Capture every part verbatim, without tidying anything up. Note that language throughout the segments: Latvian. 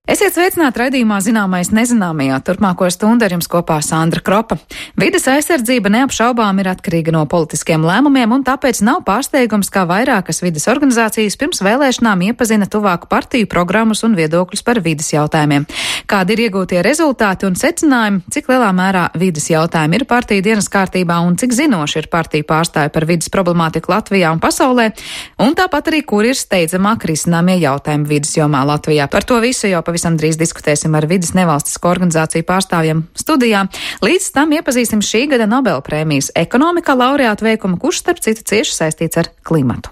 Esiet sveicināti raidījumā Zināmais nezināmajā. Turpmāko stundu ar jums kopā Sandra Kropa. Vides aizsardzība neapšaubām ir atkarīga no politiskiem lēmumiem, un tāpēc nav pārsteigums, kā vairākas vides organizācijas pirms vēlēšanām iepazina tuvāku partiju programmas un viedokļus par vides jautājumiem. Kādi ir iegūtie rezultāti un secinājumi, cik lielā mērā vides jautājumi ir partiju dienas kārtībā un cik zinoši ir partiju pārstāvi par vides problemātiku Latvijā un pasaulē, un tāpat arī, kur ir steidzamāk risināmie jautājumi vides jomā Latvijā. Par to visu jau pavisam Pavisam drīz diskutēsim ar vides nevalstisko organizāciju pārstāvjiem studijā. Līdz tam iepazīsim šī gada Nobela prēmijas ekonomikā laureātu veikumu, kurš starp citu cieši saistīts ar klimatu.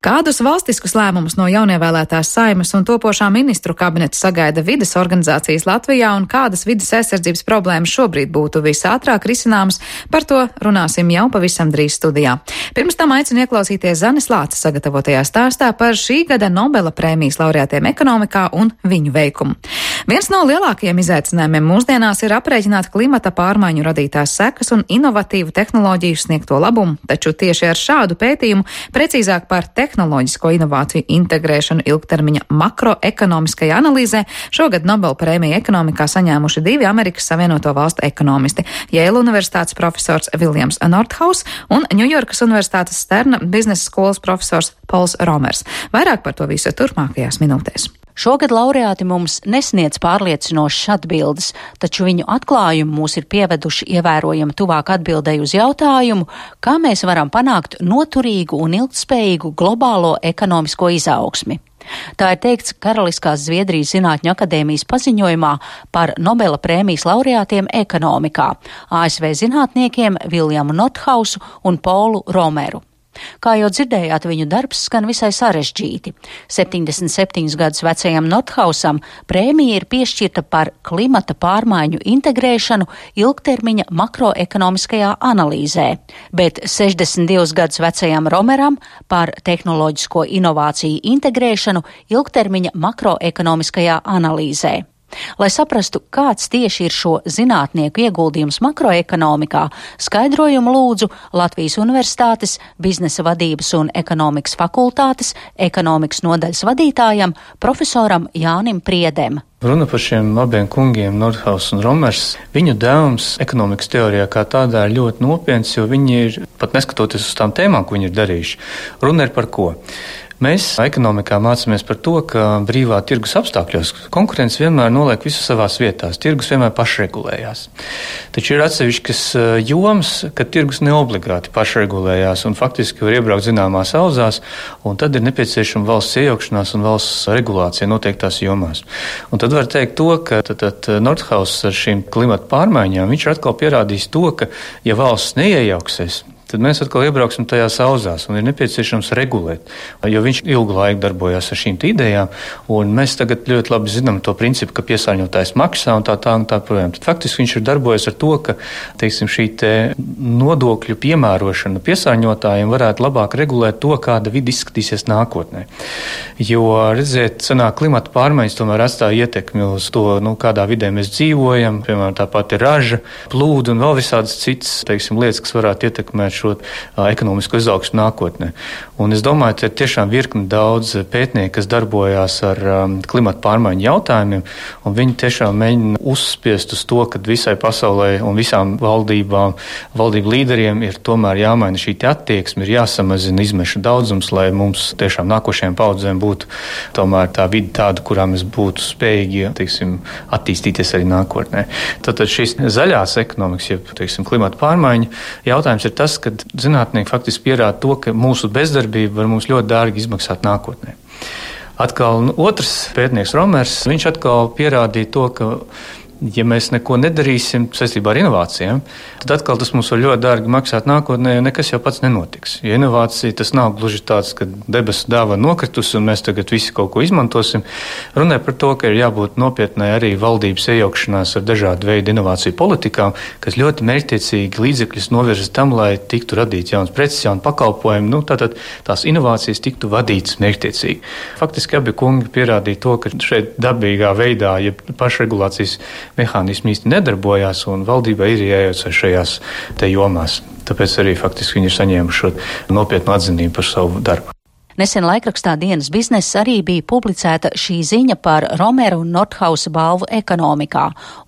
Kādus valstiskus lēmumus no jaunievēlētās Saeimas un topošā ministru kabineta sagaida vides organizācijas Latvijā un kādas vides aizsardzības problēmas šobrīd būtu visātrāk risināmas, par to runāsim jau pavisam drīz studijā. Pirms tam aicinu ieklausīties Zanes Lāces sagatavotajā stāstā par šī gada Nobela prēmijas laureātiem ekonomikā un viņu veikumu. Viens no lielākajiem izaicinājumiem mūsdienās ir aprēķināt klimata pārmaiņu radītās sekas un inovatīvu tehnoloģiju sniegto labumu, taču tieši ar šādu pētījumu, precīzāk par tehnoloģisko inovāciju integrēšanu ilgtermiņa makroekonomiskajā analīzē, šogad Nobela prēmiju ekonomikā saņēmuši divi Amerikas Savienoto Valstu ekonomisti - Yale Universitātes profesors Viljams Nordhaus un Ņujorkas Universitātes Sterna biznesa skolas profesors Pols Romers. Vairāk par to visu turpmākajās minūtēs. Šogad laureāti mums nesniedz pārliecinošas atbildes, taču viņu atklājumi mūs ir pieveduši ievērojami tuvāk atbildēju uz jautājumu, kā mēs varam panākt noturīgu un ilgtspējīgu globālo ekonomisko izaugsmi. Tā ir teikts Karaliskās Zviedrijas Zinātņu akadēmijas paziņojumā par Nobela prēmijas laureātiem ekonomikā - A S V zinātniekiem Viljamu Nordhausu un Polu Romeru. Kā jau dzirdējāt, viņu darbs skan visai sarežģīti. septiņdesmit septiņus gadus vecajam Nordhausam prēmija ir piešķirta par klimata pārmaiņu integrēšanu ilgtermiņa makroekonomiskajā analīzē, bet sešdesmit divus gadus vecajam Romeram par tehnoloģisko inovāciju integrēšanu ilgtermiņa makroekonomiskajā analīzē. Lai saprastu, kāds tieši ir šo zinātnieku ieguldījums makroekonomikā, skaidrojumu lūdzu Latvijas Universitātes biznesa vadības un ekonomikas fakultātes ekonomikas nodaļas vadītājam profesoram Jānim Priedem. Runa par šiem abiem kungiem, Nordhaus un Romers. Viņu devums ekonomikas teorijā kā tādā ir ļoti nopietns, jo viņi ir, pat neskatoties uz tām tēmām, ko viņi ir darījuši, runa ir par ko? Mēs ekonomikā mācāmies par to, ka brīvā tirgus apstākļos konkurence vienmēr noliek visu savās vietās. Tirgus vienmēr pašregulējās. Taču ir atsevišķas jomas, ka tirgus neobligāti pašregulējās un faktiski var iebraukt zināmās auzās, un tad ir nepieciešama valsts iejaukšanās un valsts regulācija noteiktās jomās. Un tad var teikt to, ka tad, tad Nordhaus ar šīm klimata pārmaiņām, viņš ir atkal pierādījis to, ka ja valsts neiejauksies, tad mēs atkal iebrauksim tajās auzās un ir nepieciešams regulēt, jo viņš ilgu laiku darbojās ar šīm idejām, un mēs tagad ļoti labi zinām to principu, ka piesārņotājs maksā un tā tā un tā projām. Tad faktiski viņš ir darbojies ar to, ka, teiksim, šī te nodokļu piemērošana piesārņotājiem varētu labāk regulēt to, kāda vide izskatīsies nākotnē. Jo, redziet, sanāk klimata pārmaiņas tomēr atstāja ietekmi uz to, nu, kādā vidē mēs dzīvojam, piemēram, tāpat ir raža, plūdi un vēl visādas citas, teiksim, lietas, kas varētu ietekmēt šo uh, ekonomisko izaugsmu nākotnē. Un es domāju, ka ir tiešām virkni daudz pētnieku, kas darbojās ar um, klimata pārmaiņu jautājumiem, un viņi tiešām mēģina uzspiest uz to, ka visai pasaulē un visām valdībām, valdību līderiem ir tomēr jāmaina šī attieksme, ir jāsamazina izmešu daudzums, lai mums tiešām nākošajām paudzēm būtu tomēr tā vide tāda, kurā mēs būtu spējīgi, teiksim, attīstīties arī nākotnē. Tātad šīs zaļās ekonomikas, jeb, teiksim, klimata pārmaiņu jautājums ir tas, ka zinātnieki faktiski pierāda to, ka mūsu bezdarbība var mums ļoti dārgi izmaksāt nākotnē. Atkal nu, otrs pētnieks Romers, viņš atkal pierādīja to, ka ja mēs neko nedarīsim saistībā ar inovācijām, tad atkal tas mums var ļoti dārgi maksāt nākotnē, jo nekas jau pats nenotiks. Jo inovācija tas nav gluži tāds, ka debesu dāva nokritus un mēs tagad visi kaut ko izmantosim. Runē par to, ka ir jābūt nopietnai arī valdības iejaukšanās ar dažādu veidu inovāciju politikām, kas ļoti mērķtiecīgi līdzekļus novirza tam, lai tiktu radīts jauns preces, jauni pakalpojumi, nu tātad tās inovācijas tiktu vadītas mērķtiecīgi. Faktiski abi kungi pierādīja to, ka šeit dabīgā veidā, ja pašregulācijas mehānismi īsti nedarbojās, un valdībai ir jājaucas šajās te jomās. Tāpēc arī faktiski viņi ir saņēmuši šo nopietnu atzinību par savu darbu. Nesen laikrakstā Dienas bizness arī bija publicēta šī ziņa par Romeru un Nordhausa balvu ekonomikā,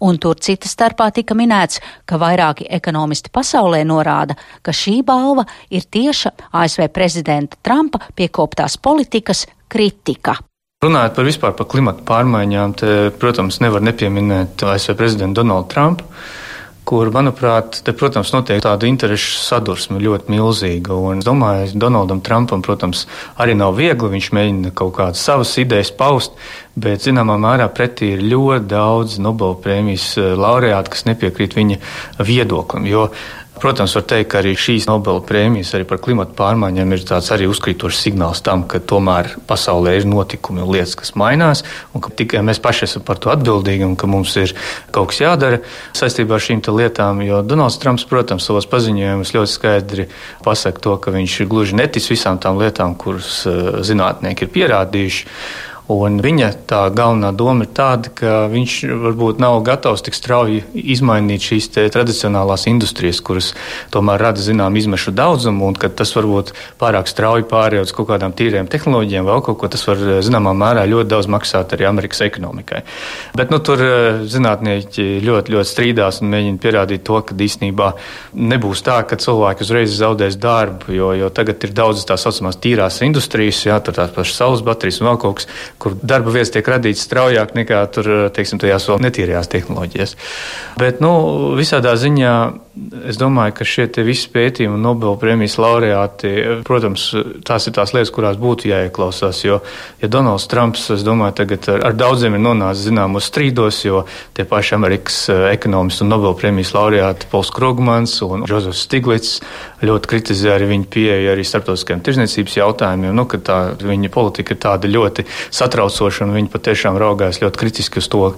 un tur cita starpā tika minēts, ka vairāki ekonomisti pasaulē norāda, ka šī balva ir tieša A S V prezidenta Trumpa piekoptās politikas kritika. Runājot par vispār par klimatu pārmaiņām, te, protams, nevar nepieminēt A S V prezidentu Donaldu Trumpu, kur, manuprāt, te, protams, notiek tāda interešu sadursme ļoti milzīga. Un es domāju, Donaldam Trumpam, protams, arī nav viegli, viņš mēģina kaut kādas savas idejas paust, bet, zināmā mērā, pretī ir ļoti daudz Nobela prēmijas laureāti, kas nepiekrīt viņa viedoklim, jo protams, var teikt, ka arī šīs Nobela prēmijas arī par klimatu pārmaiņām ir tāds arī uzkrītošs signāls tam, ka tomēr pasaulē ir notikumi un lietas, kas mainās, un ka tikai mēs paši esam par to atbildīgi un ka mums ir kaut kas jādara saistībā ar šīm te lietām, jo Donalds Trumps, protams, savos paziņojumus ļoti skaidri pasaka to, ka viņš gluži netic visām tām lietām, kuras zinātnieki ir pierādījuši. Un viņa tā galvenā doma ir tāda, ka viņš varbūt nav gatavs tik strauji izmainīt šīs te tradicionālās industrijas, kuras tomēr rada zinām izmešu daudzumu, un ka tas varbūt pārāk strauji pārējot uz kaut kādām tīriem tehnoloģijām, vēl kaut ko, tas var zināmā mērā ļoti daudz maksāt arī Amerikas ekonomikai. Bet nu, tur zinātnieki ļoti, ļoti strīdās un mēģina pierādīt to, ka īstenībā nebūs tā, ka cilvēki uzreiz zaudēs darbu, jo, jo tagad ir daudz tā saucamās tīrās industrijas, jā, tur tās pašas saules baterijas un vēl kaut kas, kur darba vietas tiek radītas straujāk nekā tur, teiksim, tajās vēl netīrajās tehnoloģijas. Bet, nu, visādā ziņā es domāju, ka šie te visi pētījumi un Nobela prēmijas laureāti, protams, tās ir tās lietas, kurās būtu jāieklausās, jo, ja Donalds Trumps, es domāju, tagad ar, ar daudziem ir nonācis zināmos strīdos, jo tie paši Amerikas ekonomisti un Nobela prēmijas laureāti Pols Krugmans un Džozefs Stiglits ļoti kritizē arī viņa pieeja arī starptautiskajiem tirzniecības jautājumiem, nu, ka tā viņa politika ir tāda ļoti satraucoša un viņi patiešām raugās ļoti kritiski uz to.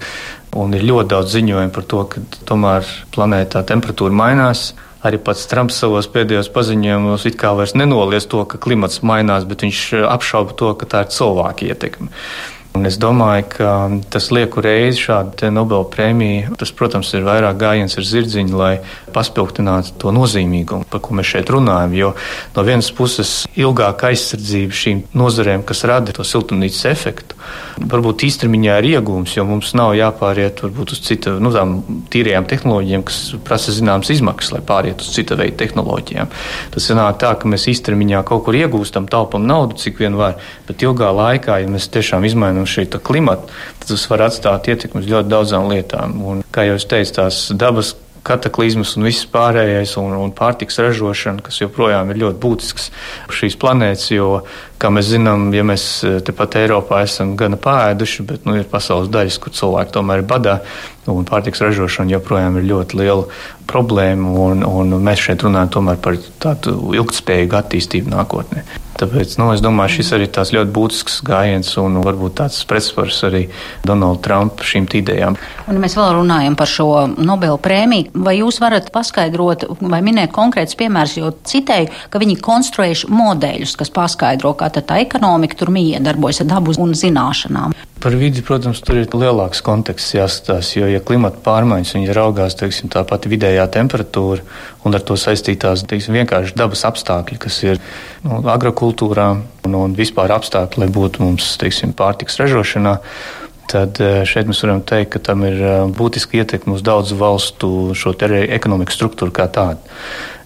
Un ir ļoti daudz ziņojumu par to, ka tomēr planētā temperatūra mainās. Arī pats Trumps savos pēdējos paziņojumos it kā vairs nenoliedz to, ka klimats mainās, bet viņš apšauba to, ka tā ir cilvēka ietekme. Un es domāju, ka tas lieku reizi šāda Nobela prēmija, tas, protams, ir vairāk gājiens ar zirdziņu, lai paspilgtinātu to nozīmīgumu, par ko mēs šeit runājam, jo no vienas puses ilgāka aizsardzība šīm nozarēm, kas rada to siltumnīcas efektu, varbūt īstermiņā ir iegūms, jo mums nav jāpāriet varbūt uz cita, nu, tām tīrajām tehnoloģijām, kas prasa zināmas izmaksas, lai pāriet uz cita veida tehnoloģijām. Tas sanāk tā, ka mēs īstermiņā kaut kur iegūstam, taupam naudu, cik vien var, bet ilgā laikā, ja mēs tiešām izmainām šī klimata, tad tas var atstāt ietekmi uz ļoti daudzām lietām. Un, kā jau es teicu, tās dabas kataklizmas un viss pārējais un, un pārtiks ražošana, kas joprojām ir ļoti būtisks šīs planētas, jo, kā mēs zinām, ja mēs tepat Eiropā esam gana pāēduši, bet nu, ir pasaules daļas, kur cilvēki tomēr ir badā, un pārtiks ražošana joprojām ir ļoti liela problēma, un, un mēs šeit runājam tomēr par tādu ilgtspējīgu attīstību nākotnē. Tāpēc, nu, es domāju, šis arī tās ļoti būtisks gājiens un varbūt tāds pretsvars arī Donalda Trumpa šīm idejām. Un mēs vēl runājam par šo Nobela prēmiju. Vai jūs varat paskaidrot vai minēt konkrēts piemērs, jo citēju, ka viņi konstruējuši modeļus, kas paskaidro, kā tā ekonomika tur miedarbojas ar dabu un zināšanām? Par vidi, protams, tur ir lielāks konteksts jāskatās, jo, ja klimata pārmaiņas, viņi raugās, teiksim, tā pati vidējā temperatūra un ar to saistītās, teiksim, vienkārši dabas apstākļi, kas ir nu, agrokultūrā un, un vispār apstākļi, lai būtu mums, teiksim, pārtiks ražošanā, tad šeit mēs varam teikt, ka tam ir būtiski ietekme uz daudzu valstu šo te ekonomikas struktūru kā tādu.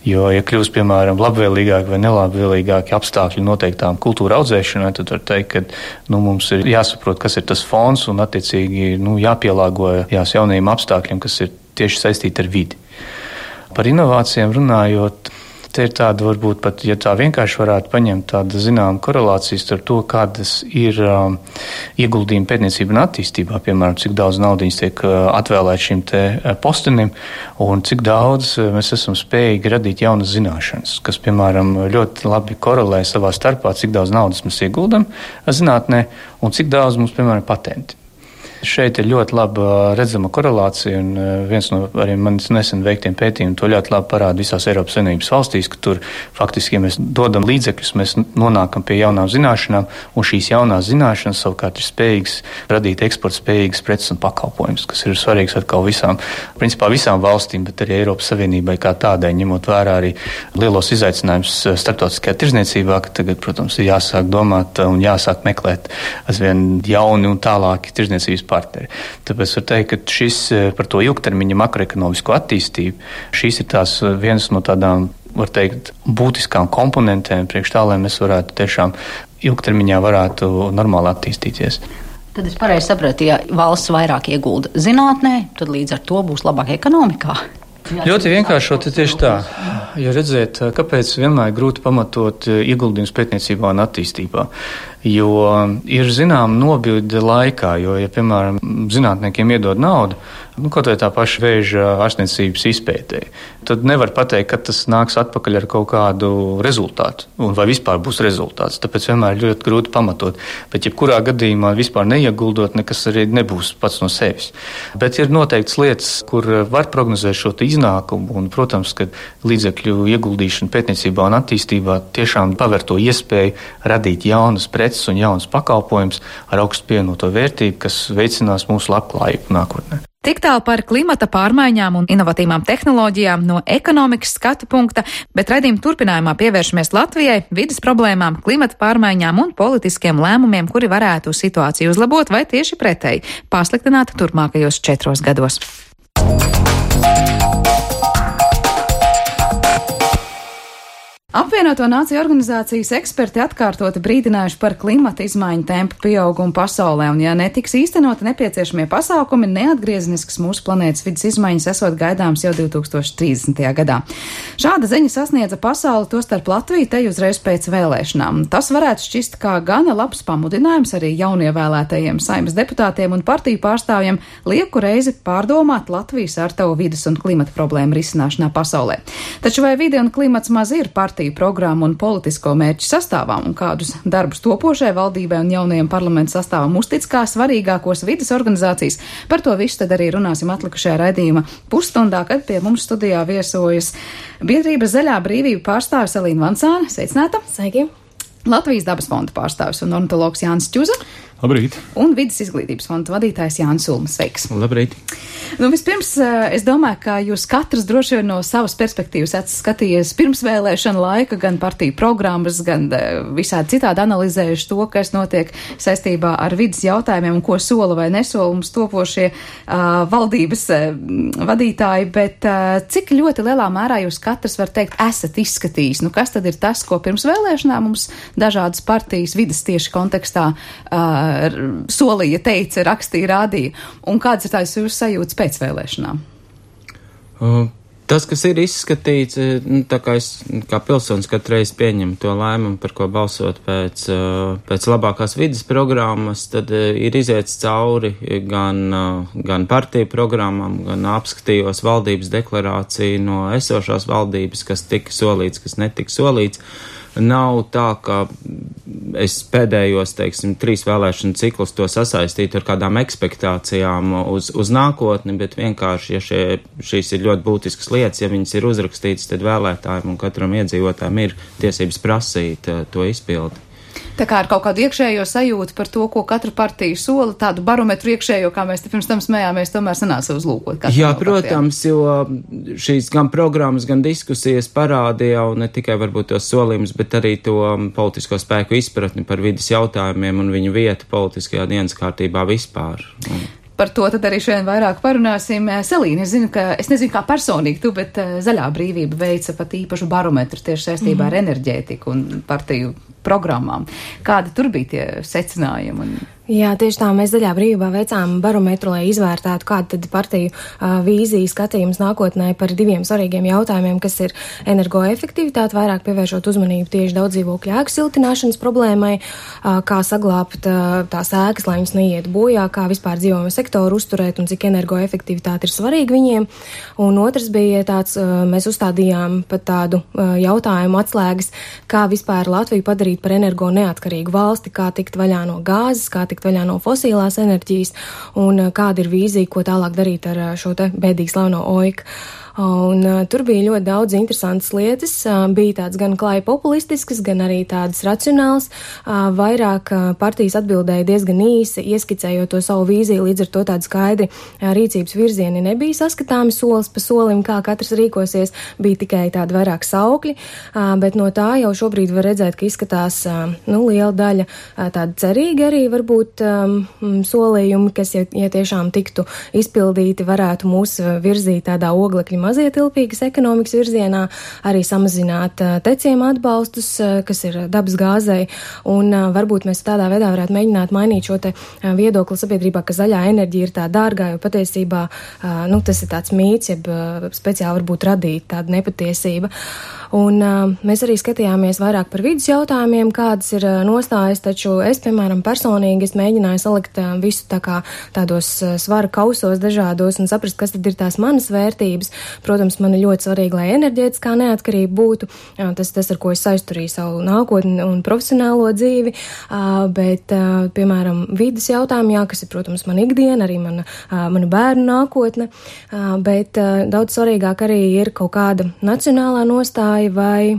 Jo, ja kļūst, piemēram, labvēlīgāk vai nelabvēlīgāki apstākļi noteiktām kultūra audzēšanai, tad var teikt, ka nu, mums ir jāsaprot, kas ir tas fons un attiecīgi nu, jāpielāgojas jaunajiem apstākļiem, kas ir tieši saistīti ar vidi. Par inovācijām runājot, te ir tāda varbūt pat, ja tā vienkārši varētu paņemt tāda zināma korelācijas ar to, kādas ir um, ieguldījumi pētniecība un attīstībā, piemēram, cik daudz naudiņas tiek uh, atvēlēt šim te uh, postenim un cik daudz uh, mēs esam spējīgi radīt jaunas zināšanas, kas, piemēram, ļoti labi korelē savā starpā, cik daudz naudas mēs ieguldam zinātnē un cik daudz mums, piemēram, patenti. Šeit ir ļoti laba redzama korelācija, un viens no arī manis nesen veiktiem pētījumiem to ļoti labi parāda visās Eiropas Savienības valstīs, ka tur faktiski, ja mēs dodam līdzekļus, mēs nonākam pie jaunām zināšanām, un šīs jaunās zināšanas savukārt ir spējīgas radīt eksporta spējīgas preces un pakalpojumus, kas ir svarīgs atkal visām, principā visām valstīm, bet arī Eiropas Savienībai kā tādai, ņemot vērā arī lielos izaicinājumus starptautiskajā tirzniecībā, ka tagad, protams, ir jāsāk domāt un jāsāk meklēt aizvien jauni un tālāki tirzniecības partneri. Tāpēc var teikt, ka šis par to ilgtermiņa makroekonomisko attīstību, šīs ir tās vienas no tādām, var teikt, būtiskām komponentēm priekš tā, lai mēs varētu tiešām ilgtermiņā varētu normāli attīstīties. Tad es pareizi sapratu, ja valsts vairāk iegulda zinātnē, tad līdz ar to būs labāk ekonomikā. Jā, ļoti vienkāršot ir tieši tā. Ja redzēt, kāpēc vienmēr grūti pamatot ieguldījums pētniecībā un attīstībā. Jo ir zinām nobilde laikā, jo, ja, piemēram, zinātniekiem iedod naudu, nu, kaut vai tā paša vēža ārstniecības izpētē, tad nevar pateikt, ka tas nāks atpakaļ ar kaut kādu rezultātu, un vai vispār būs rezultāts. Tāpēc vienmēr ļoti grūti pamatot. Bet, jebkurā gadījumā vispār neieguldot, nekas arī nebūs pats no sevis. Bet ir noteikts lietas, kur var prognozēt šo iznākumu, un, protams, ka līdzekļu ieguldīšana pētniecībā un attīstībā tiešām paver to iespēju radīt jaunas preces un jaunas pakalpojumus ar augstu pievienoto vērtību, kas veicinās mūsu labklājību nākotnē. Tik tālu par klimata pārmaiņām un inovatīvām tehnoloģijām no ekonomikas skatu punkta, bet raidījuma turpinājumā pievēršamies Latvijai, vides problēmām, klimata pārmaiņām un politiskiem lēmumiem, kuri varētu situāciju uzlabot vai tieši pretēji pasliktināt turpmākajos četros gados. Apvienoto Nāciju organizācijas eksperti atkārtoti brīdinājuši par klimata izmaiņu tempu pieaugumu pasaulē, un ja netiks īstenoti nepieciešamie pasākumi, neatgriezenisks mūsu planētas vidas izmaiņas esot gaidāms jau divi tūkstoši trīsdesmitajā gadā. Šāda ziņa sasniedza pasauli, tostarp Latviju, te uzreiz pēc vēlēšanām. Tas varētu šķist kā gana labs pamudinājums arī jaunievēlētajiem Saeimas deputātiem un partiju pārstāvjiem lieku reizi pārdomāt Latvijas ārtavu vidas un klimata problēmu risināšanā pasaulē. Taču vai vide un klimats maz ir partiju programmu un politisko mērķu sastāvām, un kādus darbus topošai valdībai un jaunajiem parlamentu sastāvam uztic kā svarīgākos vides organizācijas? Par to visu tad arī runāsim atlikušajā raidījuma pusstundā, kad pie mums studijā viesojas biedrības Zaļā brīvība pārstāvis Elīna Vancāne. Sveicināta! Sveiki! Latvijas dabas fonda pārstāvis un ornitologs Jānis Čuza. Labrīt! Un vides izglītības fonda vadītājs Jānis Ulmas. Sveiks! Labrīt! Nu, vispirms, es domāju, ka jūs katrs droši vien no savas perspektīvas esat skatījies pirms vēlēšana laika, gan partiju programmas, gan visādi citādi analizējuši to, kas notiek saistībā ar vidas jautājumiem un ko sola vai nesola mums topošie uh, valdības uh, vadītāji, bet uh, cik ļoti lielā mērā jūs katrs var teikt, esat izskatījis? Nu, kas tad ir tas, ko pirms vēlēšanām mums dažādas partijas vidas tieši kontekstā uh, solīja, teica, rakstīja, rādīja, un kādas ir tās jūsu sajūtas pēc vēlēšanām? Uh, tas, kas ir izskatīts, nu, tā kā es kā pilsonis katru reizi pieņemu to lēmumu, par ko balsot pēc, uh, pēc labākās vidas programmas, tad uh, ir iziets cauri gan, uh, gan partiju programmām, gan apskatījos valdības deklarāciju no esošās valdības, kas tika solīts, kas netika solīts. Nav tā, ka es pēdējos, teiksim, trīs vēlēšanu ciklus to sasaistītu ar kādām ekspektācijām uz, uz nākotni, bet vienkārši, ja šie, šīs ir ļoti būtiskas lietas, ja viņas ir uzrakstītas, tad vēlētājiem un katram iedzīvotājiem ir tiesības prasīt to izpildi. Tā kā ar kaut kādu iekšējo sajūtu par to, ko katra partija sola, tādu barometru iekšējo, kā mēs te pirms tam smējāmies, tomēr sanāca uzlūkot. Jā, protams, jo šīs gan programmas, gan diskusijas parādīja jau ne tikai varbūt tos solījumus, bet arī to politisko spēku izpratni par vidas jautājumiem un viņu vietu politiskajā dienas kārtībā vispār. Par to tad arī šodien vairāk parunāsim. Selīna, es zinu, ka, es nezinu kā personīgi tu, bet Zaļā brīvība veica pat īpašu barometru tieši saistībā mm. ar enerģētiku un partiju programmām. Kādi tur bija tie secinājumi? Un... Jā, tieši tā, mēs Zaļā brīvībā veicām barometru, lai izvērtētu, kāda tad partiju uh, vīzija skatījums nākotnē par diviem svarīgiem jautājumiem, kas ir energoefektivitāte, vairāk pievēršot uzmanību tieši daudz dzīvokļu ēku siltināšanas problēmai, uh, kā saglābt uh, tās ēkas, lai viņas neiet bojā, kā vispār dzīvojamo sektoru uzturēt un cik energoefektivitāte ir svarīga viņiem. Un otrs bija tāds, uh, mēs uzstādījām pat tādu uh, jautājumu atslēgas, kā vispār Latviju padarīt darīt par energo neatkarīgu valsti, kā tikt vaļā no gāzes, kā tikt vaļā no fosilās enerģijas un kāda ir vīzija, ko tālāk darīt ar šo te bēdīgi slaveno oiku. Un uh, tur bija ļoti daudz interesantas lietas, uh, bija tāds gan klāji populistisks, gan arī tādas racionāls, uh, vairāk uh, partijas atbildēja diezgan īsi, ieskicējot to savu vīziju, līdz ar to tādi skaidri uh, rīcības virzieni nebija saskatāmi solis pa solim, kā katrs rīkosies, bija tikai tādi vairāk saukļi, uh, bet no tā jau šobrīd var redzēt, ka izskatās, uh, nu, liela daļa uh, tāda cerīga arī varbūt um, solījumi, kas, ja, ja tiešām tiktu izpildīti, varētu mūs virzīt tādā oglekļa mazietilpīgas ekonomikas virzienā, arī samazināt uh, teciema atbalstus, uh, kas ir dabas gāzei, un uh, varbūt mēs tādā veidā varētu mēģināt mainīt šo te uh, viedokli sabiedrībā, ka zaļā enerģija ir tā dārgā, jo patiesībā, uh, nu, tas ir tāds mīts, jeb uh, speciāli varbūt radīt tāda nepatiesība. Un uh, mēs arī skatījāmies vairāk par vidas jautājumiem, kādas ir uh, nostājas, taču es, piemēram, personīgi es mēģināju salikt uh, visu tā kā tādos uh, svara kausos dažādos un saprast, kas tad ir tās manas vērtības. Protams, man ir ļoti svarīgi, lai enerģētiskā neatkarība būtu, uh, tas, tas, ar ko es saisturīju savu nākotni un profesionālo dzīvi, uh, bet, uh, piemēram, vidas jautājumi, jā, kas ir, protams, mana ikdiena, arī mana, uh, mana bērnu nākotne, uh, bet uh, daudz svarīgāk arī ir kaut kāda nacionālā nostāja vai,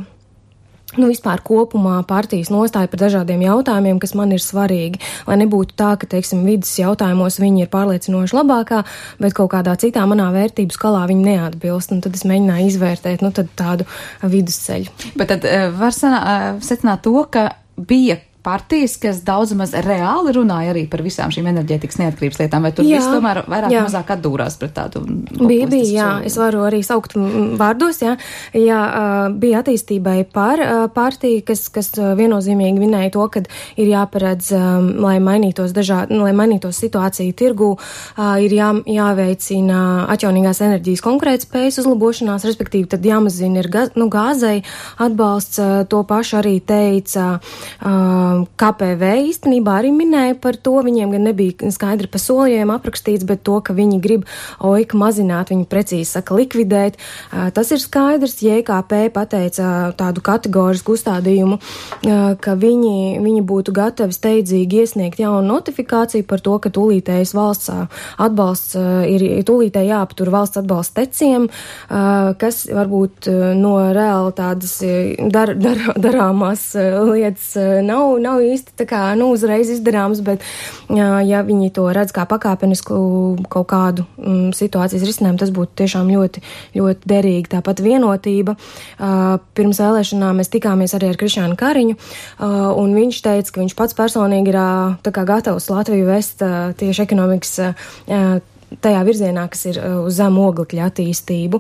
nu, vispār kopumā partijas nostāja par dažādiem jautājumiem, kas man ir svarīgi, lai nebūtu tā, ka, teiksim, vidas jautājumos viņi ir pārliecinoši labākā, bet kaut kādā citā manā vērtību skalā viņi neatbilst, un tad es mēģināju izvērtēt, nu, tad tādu vidusceļu. Bet tad var secināt to, ka bija partijas, kas daudz maz reāli runāja arī par visām šīm enerģētikas neatkarības lietām, vai tur jā, viss tomēr vairāk jā. mazāk atdūrās pret tādu bija, bija, jā, es varu arī saukt vārdos, jā, jā, bija attīstībai par partiju, kas, kas viennozīmīgi vinēja to, ka ir jāparedz, lai mainītos dažādi, lai mainītos situācija tirgu, ir jā, jāveicina atjaunīgās enerģijas konkurētspējas uzlabošanās, respektīvi tad jāmazina ir gaz, nu, gāzei atbalsts, to pašu arī teica K P V īstenībā arī minēja par to, viņiem gan nebija skaidri pa solījumiem aprakstīts, bet to, ka viņi grib oiku mazināt, viņi precīzi saka likvidēt. Tas ir skaidrs, J K P pateica tādu kategorisku uzstādījumu, ka viņi, viņi būtu gatavi steidzīgi iesniegt jaunu notifikāciju par to, ka tūlītējs valsts atbalsts ir tūlītēji jāaptur valsts atbalsts teciem, kas varbūt no reāli tādas dar, dar, darāmās lietas nav nav īsti tā kā, nu, uzreiz izdarāms, bet ja viņi to redz kā pakāpenisku kaut kādu mm, situācijas risinājumu, tas būtu tiešām ļoti, ļoti derīgi. Tāpat vienotība. Uh, pirms vēlēšanām mēs tikāmies arī ar Krišānu Kariņu, uh, un viņš teica, ka viņš pats personīgi ir uh, tā kā gatavs Latviju vest uh, tieši ekonomikas uh, tajā virzienā, kas ir uz zemu oglekļa attīstību.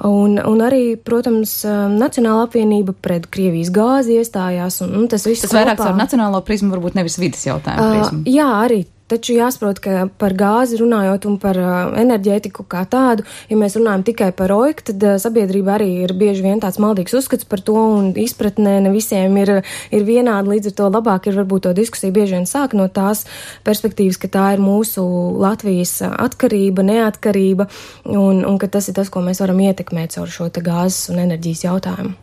Un, un arī, protams, Nacionāla apvienība pret Krievijas gāzi iestājās. Un, un tas viss tas vairāk caur nacionālo prizmu, varbūt nevis vidas jautājumu prizmu. Uh, jā, arī. Taču jāsaprot, ka par gāzi runājot un par uh, enerģētiku kā tādu, ja mēs runājam tikai par oiku, tad uh, sabiedrība arī ir bieži vien tāds maldīgs uzskats par to un izpratnē ne visiem ir, ir vienādi, līdz ar to labāk ir varbūt to diskusiju bieži vien sāk no tās perspektīvas, ka tā ir mūsu Latvijas atkarība, neatkarība un, un ka tas ir tas, ko mēs varam ietekmēt caur šo te gāzes un enerģijas jautājumu.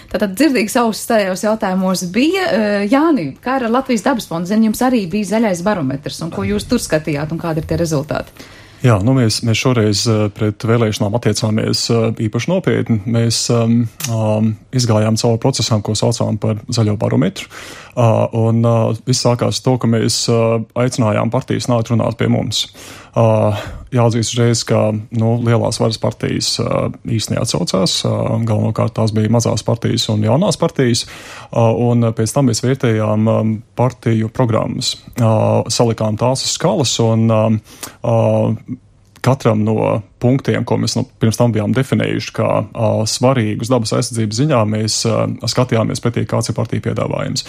Tātad dzirdīgs ausis tajos jautājumos bija. Jāni, kā ar Latvijas dabas fondu? Zin, jums arī bija zaļais barometrs, un ko jūs tur skatījāt, un kādi ir tie rezultāti? Jā, nu mēs, mēs šoreiz pret vēlēšanām attiecāmies īpaši nopietni. Mēs um, um, izgājām cauri procesām, ko saucām par zaļo barometru. Uh, un uh, viss sākās to, ka mēs uh, aicinājām partijas nākt runāt pie mums. Uh, jāatzīst uzreiz, ka nu, lielās varas partijas uh, īsti neatsaucās. Uh, galvenokārt tās bija mazās partijas un jaunās partijas. Uh, un pēc tam mēs vērtējām um, partiju programmas. Uh, salikām tās uz skalas un um, uh, katram no punktiem, ko mēs nu, pirms tam bijām definējuši kā uh, svarīgus dabas aizsardzības ziņā, mēs uh, skatījāmies pretī, kāds ir partija piedāvājums.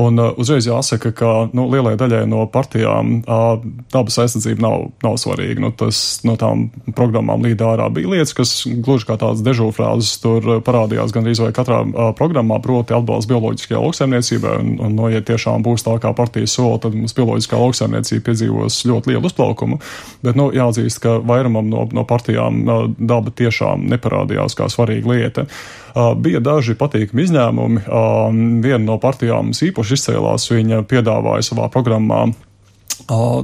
Un uh, uzreiz jāsaka, ka nu, lielai daļai no partijām uh, dabas aizsardzība nav, nav svarīga. Nu, tas no tām programmām līdz ārā bija lietas, kas gluži kā tādas dežūrfrāzes tur parādījās gandrīz vai katrā uh, programmā, proti atbalsts bioloģiskajā lauksaimniecībā. Un, un no, ja tiešām būs tā, kā partija sola, tad mums bioloģiskā lauksaimniecība piedzīvos ļoti lielu uzplaukumu. Bet nu, jāatzīst, ka vairumam no, no partijām daba tiešām neparādījās kā svarīga lieta. Bija daži patīkami izņēmumi. Viena no partijām īpaši izcēlās, viņa piedāvāja savā programmā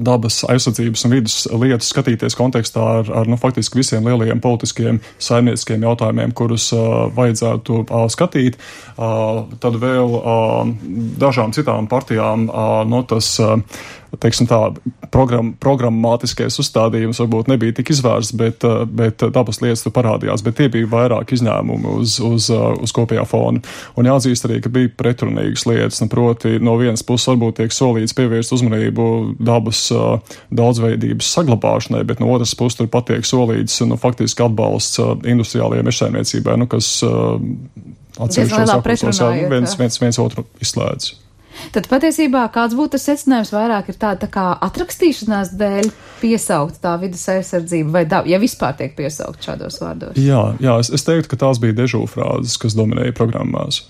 dabas aizsardzības un vidas lietas skatīties kontekstā ar, ar nu, faktiski visiem lielajiem politiskiem saimnieciskiem jautājumiem, kurus uh, vajadzētu uh, skatīt. Uh, tad vēl uh, dažām citām partijām uh, no tas, uh, teiksim tā, program, programmātiskais uzstādījums varbūt nebija tik izvērsts, bet, uh, bet dabas lietas tur parādījās, bet tie bija vairāk izņēmumi uz, uz, uh, uz kopējā fona. Un jāatzīst arī, ka bija pretrunīgas lietas, un proti no vienas puses varbūt tiek solīts pievērst uzmanību dabas uh, daudzveidības saglabāšanai, bet no otras puses tur patiek solīts, nu, faktiski atbalsts uh, industriālajai mežsaimniecībai, nu, kas uh, atsevišķos apklusos viens, viens, viens otru izslēdz. Tad patiesībā kāds būtu tas secinājums vairāk ir tāda tā kā atrakstīšanās dēļ piesaukt tā vidas aizsardzība vai daba, ja vispār tiek piesaukt šādos vārdos? Jā, jā es, es teiktu, ka tās bija dežūfrāzes, kas dominēja programmās.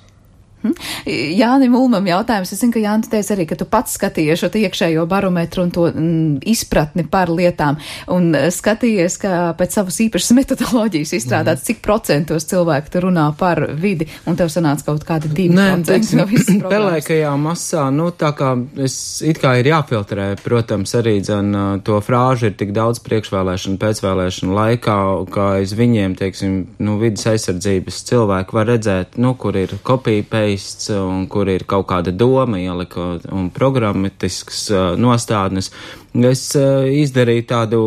Hmm. Jānim Ulmam jautājums. Es zinu, ka Jānis teica arī, ka tu pats skatījies šo iekšējo barometru un to mm, izpratni par lietām un skatījies, ka pēc savas īpašas metodoloģijas izstrādāts, mm. cik procentos cilvēki tu runā par vidi, un tev sanāca kaut kādi divi procenti no visas programmas. Pelēkajā masā, nu tā kā es it kā ir jāfiltrē, protams, arī dzen to frāžu ir tik daudz priekšvēlēšanu, pēcvēlēšanu laikā, kā aiz viņiem, teiksim, nu vidas aizsardzības cilvēki var redzēt, nu kur ir kopija pēc un kur ir kaut kāda doma ielika un programmatisks uh, nostādnes. Es uh, izdarīju tādu,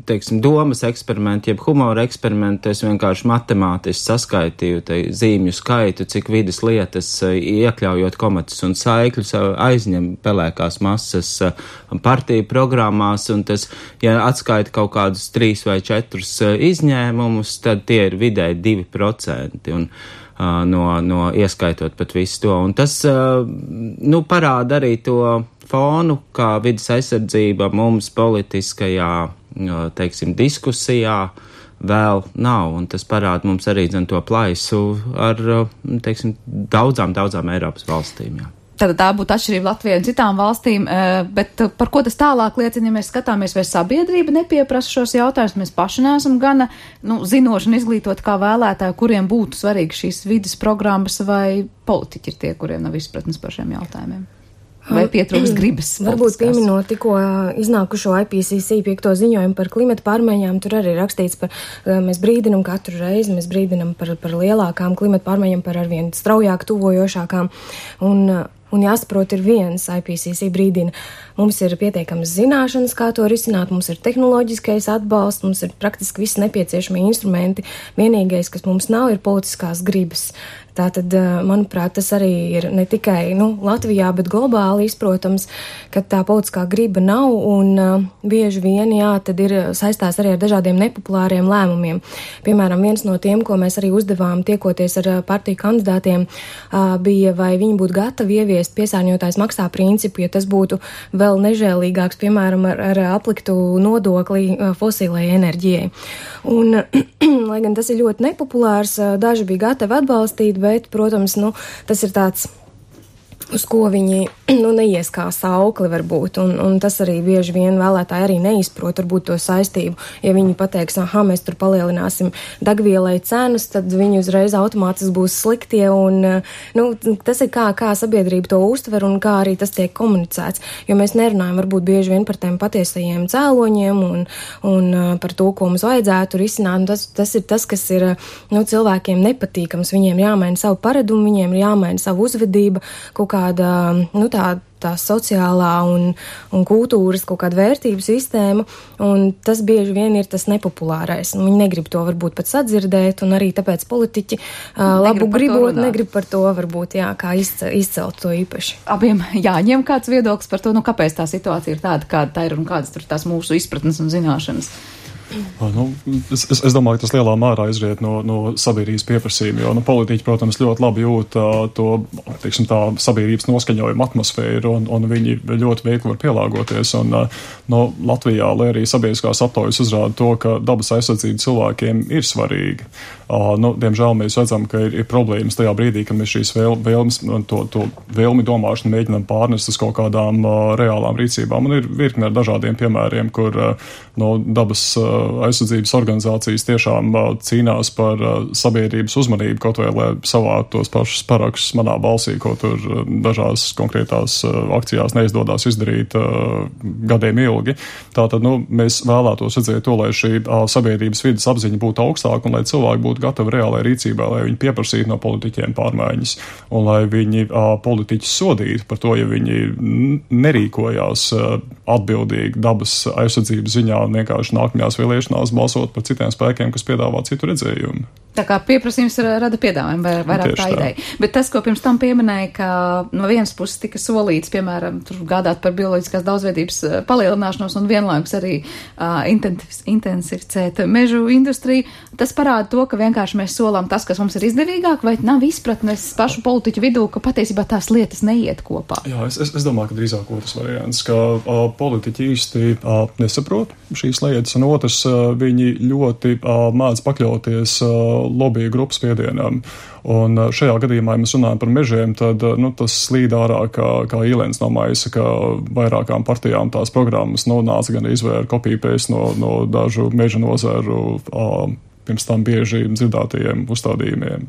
teiksim, domas eksperimentu, jeb humora eksperimentu, es vienkārši matemātiski saskaitīju te zīmju skaitu, cik vidas lietas, uh, iekļaujot komatus un saikļus, uh, aizņem pelēkās masas uh, partiju programmās, un tas, ja atskaita kaut kādus trīs vai četrus uh, izņēmumus, tad tie ir vidēji divi procenti. Un No, no ieskaitot pat visu to. Un tas, nu, parāda arī to fonu, kā vidas aizsardzība mums politiskajā, teiksim, diskusijā vēl nav. Un tas parāda mums arī, zin, to plaisu ar, teiksim, daudzām, daudzām Eiropas valstīm, jā. Tad tā būtu atšķirība Latvijai un citām valstīm, bet par ko tas tālāk liecina, ja mēs skatāmies, vai sabiedrība nepieprasa šos jautājumus, mēs paši neesam gana, nu, zinoši un izglītot kā vēlētāji, kuriem būtu svarīgi šīs vidas programmas, vai politiķi ir tie, kuriem nav izpratnes par šiem jautājumiem? Vai pietrūks gribas? Varbūt pieminot tikko iznākušo I P C C piekto ziņojumu par klimata pārmaiņām, tur arī rakstīts par, mēs brīdinam katru reizi, mēs brīdinam par, par lielākām klimata pārmaiņām, par arvien straujāk tuvojošākām, un Un jāsaprot ir viens, I P C C brīdina, mums ir pietiekamas zināšanas, kā to risināt, mums ir tehnoloģiskais atbalsts, mums ir praktiski visi nepieciešamie instrumenti. Vienīgais, kas mums nav, ir politiskās gribas. Tātad, manuprāt, tas arī ir ne tikai nu, Latvijā, bet globāli izprotams, ka tā politiskā griba nav un uh, bieži vien, jā, tad ir saistās arī ar dažādiem nepopulāriem lēmumiem. Piemēram, viens no tiem, ko mēs arī uzdevām tiekoties ar partiju kandidātiem, uh, bija, vai viņi būtu gatavi ieviest piesārņotājs maksā principu, ja tas būtu vēl nežēlīgāks, piemēram, ar, ar apliktu nodokli uh, fosilai enerģijai. Un, lai gan tas ir ļoti nepopulārs, uh, daži bija gatavi atbalstīt, bet, protams, nu, tas ir tāds, uz ko viņi nu, neies kā saukli varbūt, un, un tas arī bieži vien vēlētāji arī neizprot varbūt to saistību. Ja viņi pateiks, aha, mēs tur palielināsim degvielai cenas, tad viņi uzreiz automātiski būs sliktie, un nu, tas ir kā, kā sabiedrība to uztver un kā arī tas tiek komunicēts, jo mēs nerunājam varbūt bieži vien par tiem patiesajiem cēloņiem un, un par to, ko mums vajadzētu risināt, un tas, tas ir tas, kas ir nu, cilvēkiem nepatīkams, viņiem jāmaina savu paradumu, viņiem ir jāmaina savu uzvedību, kaut kāda, nu tā, tā sociālā un, un kultūras kaut kāda vērtību sistēma, un tas bieži vien ir tas nepopulārais. Un viņi negrib to varbūt pat sadzirdēt, un arī tāpēc politiķi uh, labu gribot, negrib par to varbūt, jā, kā izcelt, izcelt to īpaši. Abiem jāņem kāds viedoklis par to, nu kāpēc tā situācija ir tāda, kāda tā ir, un kādas tur tās mūsu izpratnes un zināšanas. Nu, es, es, es domāju, ka tas lielā mērā izriet no, no sabiedrības pieprasījuma, jo nu, politiķi, protams, ļoti labi jūt uh, to, teiksim, tā sabiedrības noskaņojuma atmosfēru, un, un viņi ļoti veikli var pielāgoties. Un, uh, no Latvijā, lai arī sabiedriskās aptaujas uzrāda to, ka dabas aizsardzība cilvēkiem ir svarīga. Uh, nu, diemžēl mēs redzam, ka ir, ir problēmas tajā brīdī, kad mēs šīs vēl, vēlmes, to, to vēlmi domāšanu mēģinām pārnest uz kaut kādām uh, reālām rīcībām. Un ir virkne ar dažādiem piemēriem, kur uh, no dabas uh, aizsardzības organizācijas tiešām cīnās par sabiedrības uzmanību, kaut vai lai savātu tos pašus parakstus manā balsī, ko tur dažās konkrētās akcijās neizdodas izdarīt gadiem ilgi. Tātad, nu, mēs vēlētos redzēt to, lai šī sabiedrības vidas apziņa būtu augstāka un lai cilvēki būtu gatavi reālai rīcībai, lai viņi pieprasītu no politiķiem pārmaiņas un lai viņi politiķus sodītu par to, ja viņi nerīkojās atbildīgi dabas aizsardzības ziņā un vienkārši nākamajās vēlēšanās balsot par citiem spēkiem, kas piedāvā citu redzējumu. Tā kā pieprasījums rada piedāvājumu vai vairāk tā ideja. Bet tas, ko pirms tam pieminēja, ka no vienas puses tika solīts, piemēram, tur gādāt par bioloģiskās daudzveidības palielināšanos un vienlaikus arī uh, intensificēt mežu industriju, tas parāda to, ka vienkārši mēs solām tas, kas mums ir izdevīgāk, vai nav izpratnes pašu politiķu vidū, ka patiesībā tās lietas neiet kopā. Jā, es, es, es domāju, ka drīzāk otrs variants, ka uh, politiķi īsti uh, nesaprot šīs lietas, un otrs, uh, viņi ļoti uh, mēdz pakļauties uh, lobby grupas spiedienam. Un šajā gadījumā, ja mēs runājam par mežiem, tad nu, tas slīd ārā kā, kā īlens no maisa, ka vairākām partijām tās programmas nu, nāca gan izvēra kopīpēs no, no dažu meža nozaru pirms tam bieži dzirdētajiem uzstādījumiem.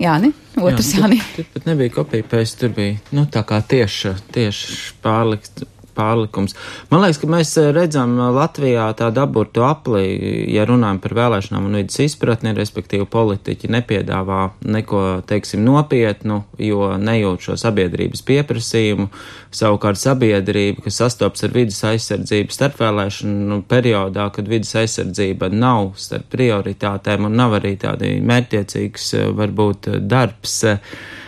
Jāni, otrs Jā, Jāni. Tur pat nebija kopīpēs, tur bija nu, tā kā tieši, tieši pārlikt. Pārlikums. Man liekas, ka mēs redzam Latvijā tādu aburtu apli, ja runājam par vēlēšanām un vidas izpratni, respektīvi politiķi nepiedāvā neko, teiksim, nopietnu, jo nejūt šo sabiedrības pieprasījumu. Savukārt sabiedrība, kas sastopas ar vidas aizsardzību starpvēlēšanu periodā, kad vidas aizsardzība nav starp prioritātēm un nav arī tādi mērķtiecīgs varbūt darbs,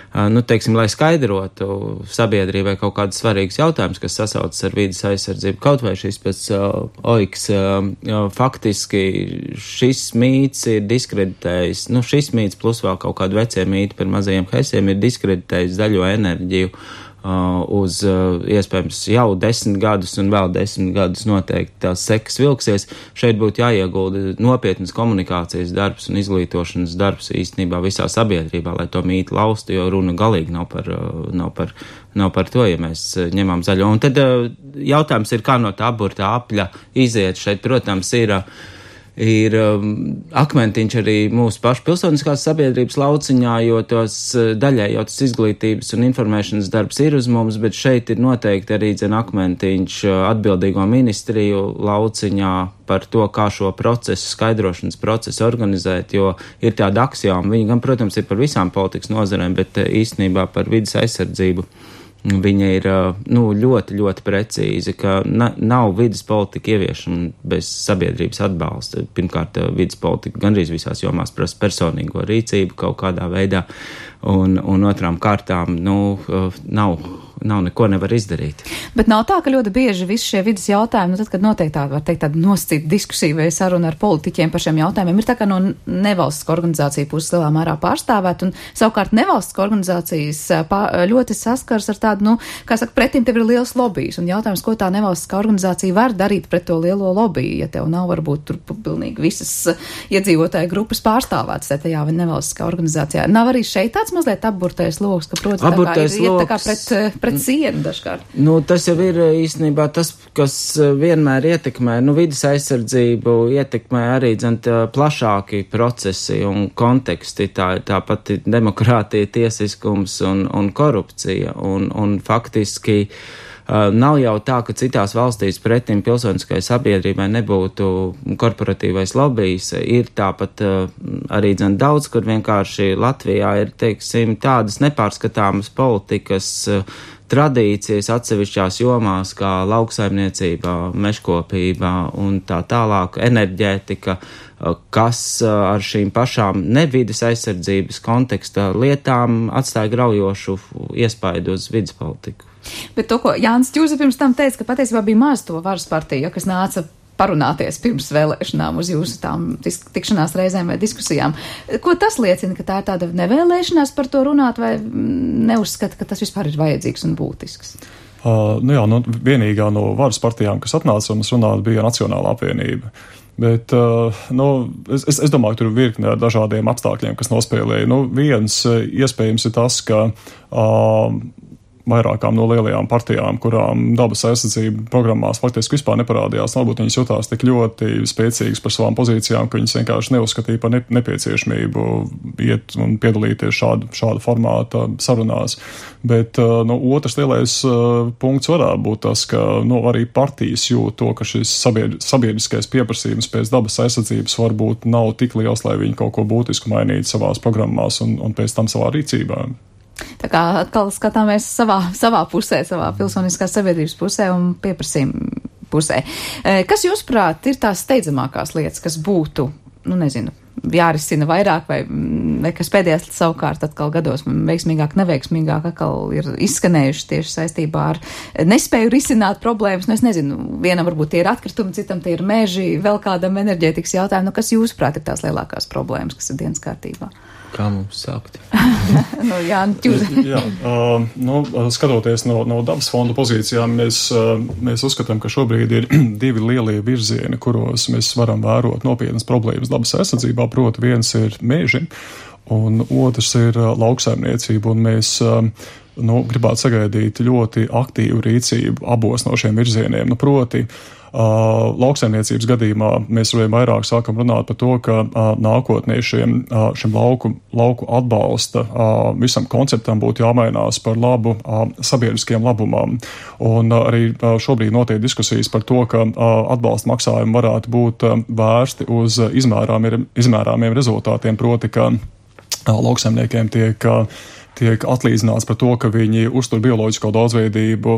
nu, teiksim, lai skaidrotu sabiedrībai kaut kādus svarīgus jautājumus, kas sasaucas ar vīdes aizsardzību. Kaut vai šis pēc uh, oiks, uh, faktiski šis mīts ir diskreditējis, nu, šis mīts plus vēl kaut kādu vecie mīti par mazajiem hesiem ir diskreditējis zaļo enerģiju Uh, uz uh, iespējams jau desmit gadus un vēl desmit gadus noteikti tās sekas vilksies. Šeit būtu jāiegulda nopietnas komunikācijas darbs un izglītošanas darbs īstenībā visā sabiedrībā, lai to mītu laustu, jo runa galīgi nav par, uh, nav par, nav par to, ja mēs uh, ņemam zaļo. Un tad uh, jautājums ir, kā no tā aburtā apļa iziet. Šeit, protams, ir uh, ir um, akmentiņš arī mūsu pašu pilsoniskās sabiedrības lauciņā, jo tos daļai jau tas izglītības un informēšanas darbs ir uz mums, bet šeit ir noteikti arī dzen akmentiņš atbildīgo ministriju lauciņā par to, kā šo procesu, skaidrošanas procesu organizēt, jo ir tāda aksioma, viņi gan, protams, ir par visām politikas nozarēm, bet īstenībā par vidas aizsardzību. Viņa ir nu, ļoti, ļoti precīzi, ka na, nav vidas politika ieviešana bez sabiedrības atbalsta. Pirmkārt, vidas politika gandrīz visās jomās prasa personīgo rīcību kaut kādā veidā, un, un otrām kārtām nu, nav, nav neko nevar izdarīt. Bet nav tā, ka ļoti bieži visi šie vidas jautājumi, nu tad, kad notiek tāda, var teikt, tāda nosacīta diskusija vai saruna ar politiķiem par šiem jautājumiem, ir tā kā no nevalstiskā organizācija puses lielā mērā pārstāvēt, un savukārt nevalstiskā organizācijas ļoti saskars ar tādu, nu, kā saka, pretim tev ir liels lobijs, un jautājums, ko tā nevalstiskā organizācija var darīt pret to lielo lobiju, ja tev nav varbūt tur pilnīgi visas iedzīvotāju grupas pārstāvētas tajā vai nevalstiskā organizācijā. Nav arī šeit tāds mazliet apburtais loks, ka, protams, apburtais tā kā ir iet tā kā pret, pret sienu dažkārt. Nu, tas jau ir īstenībā tas, kas vienmēr ietekmē, nu, vidas aizsardzību ietekmē arī, dzent, plašāki procesi un konteksti, tā, tā pati demokrātija, tiesiskums un, un korupcija, un, un faktiski uh, nav jau tā, ka citās valstīs pretim pilsoniskai sabiedrībai nebūtu korporatīvais lobijs, ir tāpat uh, arī, dzent, daudz, kur vienkārši Latvijā ir, teiksim, tādas nepārskatāmas politikas uh, tradīcijas atsevišķās jomās, kā lauksaimniecībā, mežkopībā un tā tālāk, enerģētika, kas ar šīm pašām nevides aizsardzības konteksta lietām atstāja graujošu iespaidu uz vidas politiku. Bet to, ko Jānis Ķūze pirms tam teica, ka patiesībā bija maz to varas partiju, kas nāca parunāties pirms vēlēšanām uz jūsu tām tikšanās reizēm vai diskusijām. Ko tas liecina, ka tā ir tāda nevēlēšanās par to runāt, vai neuzskata, ka tas vispār ir vajadzīgs un būtisks? Uh, nu jā, nu, vienīgā no varas partijām, kas atnāca un runāt, bija Nacionālā apvienība. Bet, uh, nu, es, es, es domāju, ka tur ir virkne ar dažādiem apstākļiem, kas nospēlēja. Nu, viens iespējams ir tas, ka uh, vairākām no lielajām partijām, kurām dabas aizsardzība programmās faktiski vispār neparādījās. Varbūt viņas jutās tik ļoti spēcīgas par savām pozīcijām, ka viņas vienkārši neuzskatīja par nepieciešamību iet un piedalīties šādu, šādu formātu sarunās. Bet no otrs lielais punkts varētu būt tas, ka no, arī partijas jūt to, ka šis sabiedriskais pieprasījums pēc dabas aizsardzības varbūt nav tik liels, lai viņi kaut ko būtisku mainītu savās programmās un, un pēc tam savā rīcībā. Tā kā atkal skatāmies savā, savā pusē, savā pilsoniskās sabiedrības pusē un pieprasījuma pusē. Kas, jūsuprāt, ir tās steidzamākās lietas, kas būtu, nu nezinu, jārisina vairāk vai, vai kas pēdējās savukārt atkal gados veiksmīgāk, neveiksmīgāk atkal ir izskanējuši tieši saistībā ar nespēju risināt problēmas? Nu, es nezinu, vienam varbūt tie ir atkritumi, citam tie ir meži, vēl kādam enerģētikas jautājumu. Nu, kas jūsuprāt ir tās lielākās problēmas, kas ir dienas kārtībā? Kā mums sākt? nu, jā, jā uh, nu, skatoties no, no dabas fonda pozīcijām, mēs, uh, mēs uzskatām, ka šobrīd ir divi lielie virzieni, kuros mēs varam vērot nopietnas problēmas dabas aizsardzībā. Proti, viens ir meži, un otrs ir uh, lauksaimniecība, un mēs uh, nu, gribētu sagaidīt ļoti aktīvu rīcību abos no šiem virzieniem. Nu, proti, Uh, lauksaimniecības gadījumā mēs vien vairāk sākam runāt par to, ka uh, nākotnē šiem, uh, šim lauku, lauku atbalsta uh, visam konceptam būtu jāmainās par labu uh, sabiedriskiem labumam. Un uh, arī uh, šobrīd notiek diskusijas par to, ka uh, atbalsta maksājumi varētu būt uh, vērsti uz uh, izmērāmiem, izmērāmiem rezultātiem, proti, ka uh, lauksaimniekiem tiek uh, tiek atlīdzināts par to, ka viņi uztur bioloģisko daudzveidību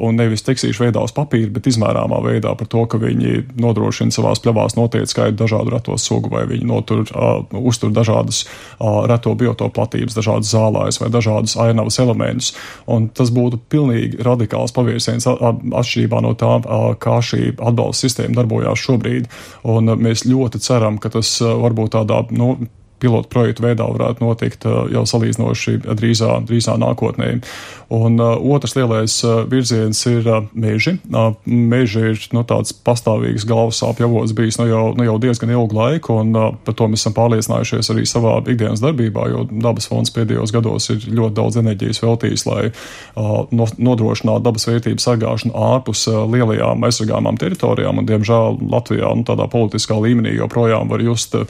un nevis tekstīšu veidā uz papīra, bet izmērāmā veidā par to, ka viņi nodrošina savās pļavās noteikti skaitu dažādu reto sugu, vai viņi notur, uh, uztur dažādas uh, reto biotopu platības, dažādas zālājas vai dažādas ainavas elementus. Un tas būtu pilnīgi radikāls pavērsiens atšķirībā no tā, uh, kā šī atbalsta sistēma darbojās šobrīd. Un uh, mēs ļoti ceram, ka tas uh, varbūt tādā, nu, pilotu projektu veidā varētu notikt uh, jau salīdzinoši drīzā, drīzā nākotnē. Un uh, otrs lielais uh, virziens ir uh, meži. Uh, meži ir nu, tāds pastāvīgs galvas sāpju avots bijis nu, jau, nu, jau diezgan ilgu laiku, un uh, par to mēs esam pārliecinājušies arī savā ikdienas darbībā, jo dabas fonds pēdējos gados ir ļoti daudz enerģijas veltījis, lai uh, no, nodrošinātu dabas vērtību sargāšanu ārpus uh, lielajām aizsargāmām teritorijām, un diemžēl Latvijā nu, tādā politiskā līmenī joprojām var just uh,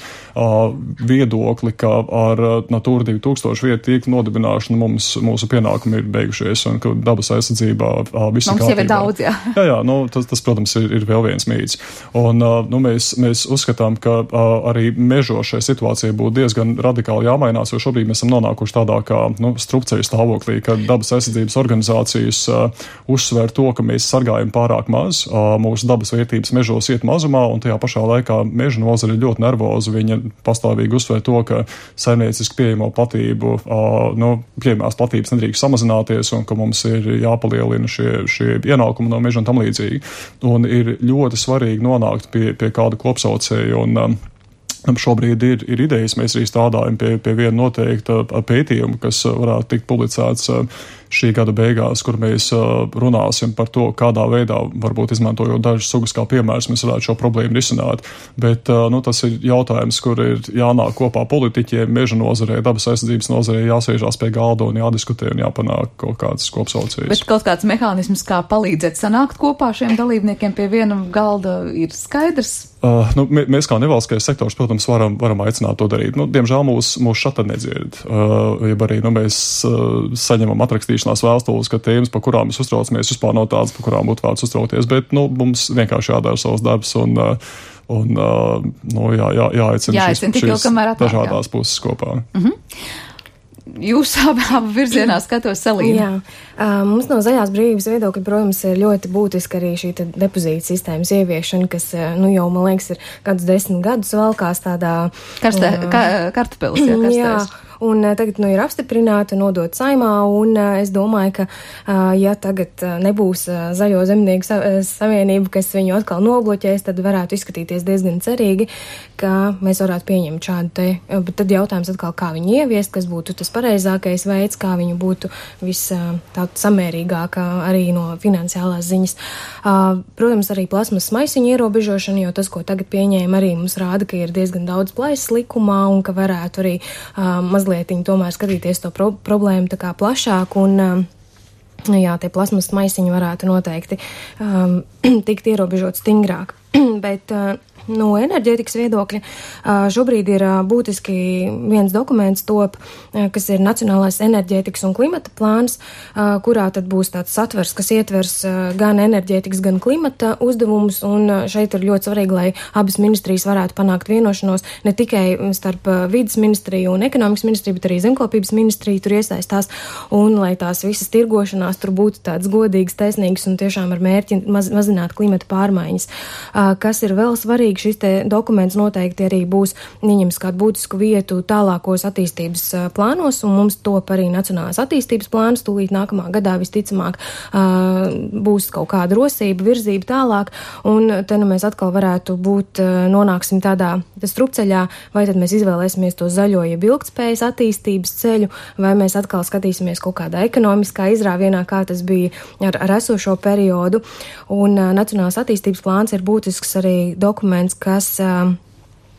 viedu ka ar Natūra divi tūkstoši vietu tīklu nodibināšanu mums, mūsu pienākumi ir beigušies un ka dabas aizsardzībā visi mums kārtībā. Jau ir daudz, jā. Jā, jā, nu, tas, tas, protams, ir, ir vēl viens mīts. Un nu, mēs, mēs uzskatām, ka arī mežos šai situācijai būtu diezgan radikāli jāmainās, jo šobrīd mēs esam nonākuši tādā kā nu, strupceļu stāvoklī, ka dabas aizsardzības organizācijas uh, uzsver to, ka mēs sargājam pārāk maz, uh, mūsu dabas vērtības mežos iet mazumā, un tajā pašā laikā meža nozare ir ļoti nervoza. Viņa pastāvīgi uzsver to, ka saimnieciski pieejamo platību, uh, nu, pieejamās platības nedrīkst samazināties un ka mums ir jāpalielina šie, šie ienākumi no meža un tam līdzīgi. Un ir ļoti svarīgi nonākt pie, pie kāda kopsaucēja un um, šobrīd ir, ir idejas, mēs arī strādājam pie, pie viena noteikta pētījuma, kas varētu tikt publicēts šī gada beigās, kur mēs runāsim par to, kādā veidā, varbūt izmantojot dažas sugas kā piemērs, mēs varētu šo problēmu risināt. Bet nu, tas ir jautājums, kur ir jānāk kopā politiķiem, meža nozarē, dabas aizsardzības nozarē, jāsēžās pie galda un jādiskutē un jāpanāk kaut kāds kopsaucējs. Bet kaut kāds mehānisms, kā palīdzēt sanākt kopā šiem dalībniekiem pie viena galda, ir skaidrs? Uh, nu, mēs kā nevalstiskais sektors, protams, varam, varam aicināt to darīt. Nu, diemžēl mūs, mūs šata nedzird. Uh, ja arī nu, mēs uh, saņemam atrakstīšanās vēstules, ka tēmas, par kurām mēs uztraucamies, vispār nav tādas, par kurām būtu vērts uztraukties, bet nu, mums vienkārši jādara savs darbs un, uh, un uh, nu, jā, jā, jāaicina jāaicina šis, šis atnāk, dažādās puses kopā. Mm-hmm. Jūs abā virzienā skatos salīdzināt. Jā, uh, mums no zaļās brīvības viedokļa, protams, ir ļoti būtiska arī šī depozīta sistēmas ieviešana, kas, uh, nu jau, man liekas, ir kādus desmit gadus valkās tādā... Karstē, uh, ka, kartupelis, jā, karstēs. Jā. Un uh, tagad nu, ir apstiprināta, nodot saimā, un uh, es domāju, ka, uh, ja tagad uh, nebūs uh, Zaļo zemnieku sa savienība, kas viņu atkal nobloķēs, tad varētu izskatīties diezgan cerīgi, ka mēs varētu pieņemt šādu te, uh, bet tad jautājums atkal, kā viņu ieviest, kas būtu tas pareizākais veids, kā viņu būtu vis uh, tādu samērīgāk uh, arī no finansiālās ziņas. Uh, protams, arī plasmas maisiņu ierobežošana, jo tas, ko tagad pieņēma, arī mums rāda, ka ir diezgan daudz plaisas likumā un ka varētu arī uh, mazliet lietiņu tomēr skatīties to pro problēmu tā kā plašāk un, jā, tie plasmas maisiņi varētu noteikti um, tikt ierobežot stingrāk. Bet uh, no enerģētikas viedokļa šobrīd ir būtiski viens dokuments top, kas ir Nacionālais enerģētikas un klimata plāns, kurā tad būs tāds satvers, kas ietvers gan enerģētikas, gan klimata uzdevumus, un šeit ir ļoti svarīgi, lai abas ministrijas varētu panākt vienošanos ne tikai starp vides ministriju un ekonomikas ministriju, bet arī zemkopības ministriju tur iesaistās, un lai tās visas tirgošanās tur būtu tāds godīgs, taisnīgs un tiešām ar mērķi maz, mazināt klimata pārmaiņas. Kas ir vēl svarīgi, šis te dokuments noteikti arī būs ieņems kādu būtisku vietu tālākos attīstības plānos, un mums top arī Nacionālās attīstības plāns, tūlīt nākamā gadā visticamāk būs kaut kāda rosība, virzība tālāk, un te nu mēs atkal varētu būt, nonāksim tādā strupceļā, vai tad mēs izvēlēsimies to zaļo, jeb ilgtspējas attīstības ceļu, vai mēs atkal skatīsimies kaut kādā ekonomiskā izrāvienā, kā tas bija ar, ar esošo periodu, un Nacionālās attīstības plāns ir būtisks arī dokuments, kas uh,